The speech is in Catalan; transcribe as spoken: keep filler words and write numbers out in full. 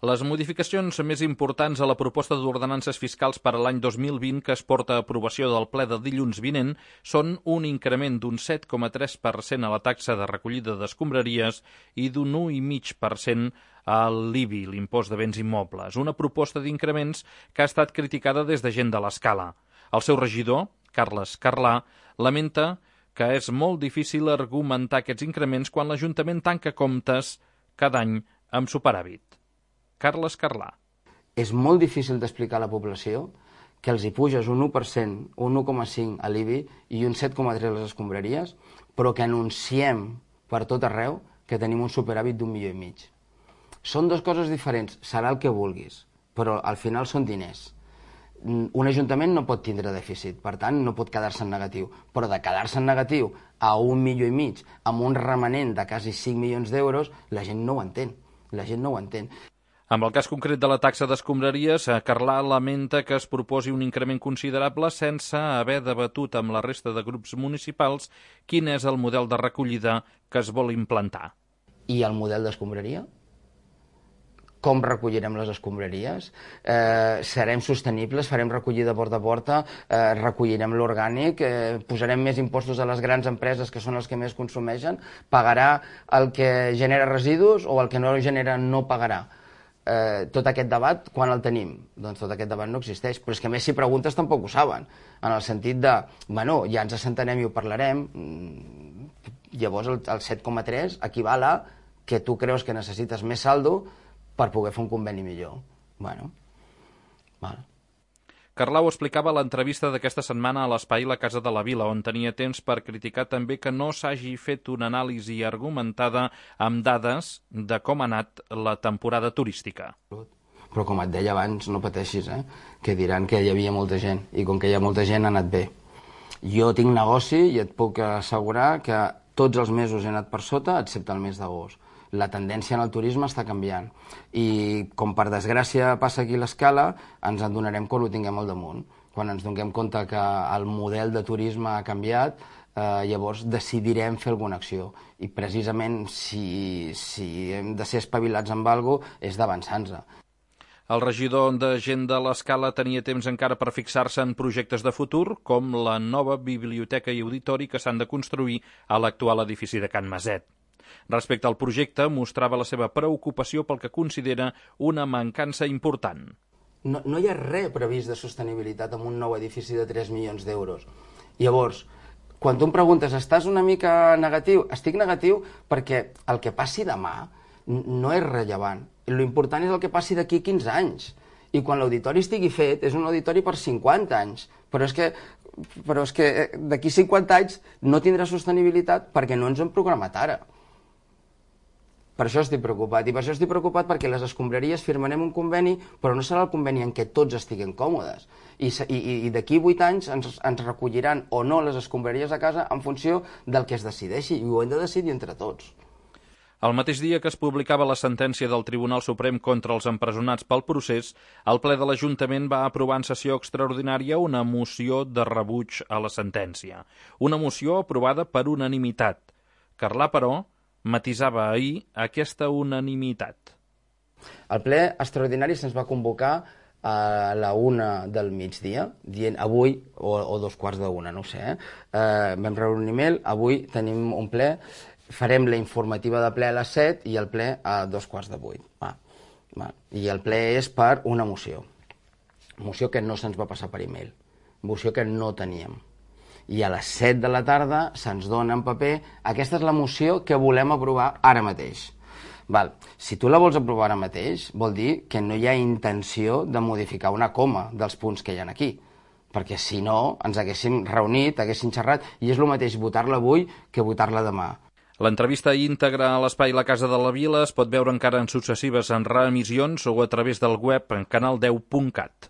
Les modificacions més importants a la proposta d'ordenances fiscals per a l'any dos mil vint que es porta a aprovació del ple de dilluns vinent són un increment d'un set coma tres per cent a la taxa de recollida d'escombraries i d'un un coma cinc per cent a l'I B I, l'impost de béns immobles, una proposta d'increments que ha estat criticada des de gent de l'escala. El seu regidor, Carles Carlà, lamenta que és molt difícil argumentar aquests increments quan l'Ajuntament tanca comptes cada any amb superàvit. Carles Carlà. És molt difícil d'explicar a la població que els hi puges un u per cent, un u coma cinc a l'I B I i un set coma tres a les escombraries, però que anunciem per tot arreu que tenim un superàvit d'un milió i mig. Són dues coses diferents, serà el que vulguis, però al final són diners. Un ajuntament no pot tindre dèficit, per tant no pot quedar-se en negatiu, però de quedar-se en negatiu a un milió i mig, amb un remanent de quasi cinc milions d'euros, la gent no ho entén, la gent no ho entén. Amb el cas concret de la taxa d'escombraries, Carlà lamenta que es proposi un increment considerable sense haver debatut amb la resta de grups municipals quin és el model de recollida que es vol implantar. I el model d'escombraria? Com recollirem les escombraries? Eh, serem sostenibles? Farem recollida porta a porta? Eh, recollirem l'orgànic? Eh, posarem més impostos a les grans empreses, que són els que més consumeixen? Pagarà el que genera residus o el que no genera no pagarà? Eh, tot aquest debat, quan el tenim? Doncs tot aquest debat no existeix, però és que a més si preguntes tampoc ho saben, en el sentit de, bueno, ja ens assentarem i ho parlarem, llavors el, el set coma tres equival a que tu creus que necessites més saldo per poder fer un conveni millor. Bueno, val. Carlà ho explicava a l'entrevista d'aquesta setmana a l'Espai La Casa de la Vila, on tenia temps per criticar també que no s'hagi fet una anàlisi argumentada amb dades de com ha anat la temporada turística. Però com et deia abans, no pateixis, eh? Que diran que hi havia molta gent, i com que hi ha molta gent ha anat bé. Jo tinc negoci i et puc assegurar que tots els mesos he anat per sota, excepte el mes d'agost. La tendència en el turisme està canviant i com per desgràcia passa aquí l'escala, ens en donarem quan ho tinguem al damunt. Quan ens donem compte que el model de turisme ha canviat, eh, llavors decidirem fer alguna acció. I precisament si, si hem de ser espavilats amb alguna cosa és d'avançar-nos. El regidor de Gent de l'Escala tenia temps encara per fixar-se en projectes de futur, com la nova biblioteca i auditori que s'han de construir a l'actual edifici de Can Maset. Respecte al projecte, mostrava la seva preocupació pel que considera una mancança important. No, no hi ha res previst de sostenibilitat en un nou edifici de tres milions d'euros. Llavors, quan tu em preguntes, estàs una mica negatiu? Estic negatiu perquè el que passi demà no és rellevant. L'important és el que passi d'aquí quinze anys. I quan l'auditori estigui fet, és un auditori per cinquanta anys. Però és que, però és que d'aquí cinquanta anys no tindrà sostenibilitat perquè no ens hem programat ara. Per això estic preocupat, i per això estic preocupat perquè les escombraries firmarem un conveni, però no serà el conveni en què tots estiguem còmodes. I, i, i d'aquí vuit anys ens, ens recolliran o no les escombraries a casa en funció del que es decideixi, i ho hem de decidir entre tots. El mateix dia que es publicava la sentència del Tribunal Suprem contra els empresonats pel procés, el ple de l'Ajuntament va aprovar en sessió extraordinària una moció de rebuig a la sentència. Una moció aprovada per unanimitat. Carlà, però, matisava ahir aquesta unanimitat. El ple extraordinari se'ns va convocar a la una del migdia, dient avui, o, o dos quarts d'una, no ho sé, eh? Eh, vam rebre un email, avui tenim un ple, farem la informativa de ple a les set i el ple a dos quarts de vuit. Va, va. I el ple és per una moció. Moció que no se'ns va passar per email. Moció que no teníem. I a les set de la tarda se'ns dona en paper, aquesta és la moció que volem aprovar ara mateix. Val. Si tu la vols aprovar ara mateix, vol dir que no hi ha intenció de modificar una coma dels punts que hi ha aquí, perquè si no ens haguéssim reunit, haguéssim xerrat, i és el mateix votar-la avui que votar-la demà. L'entrevista íntegra a l'Espai La Casa de la Vila es pot veure encara en successives en reemissions o a través del web en canal deu punt cat.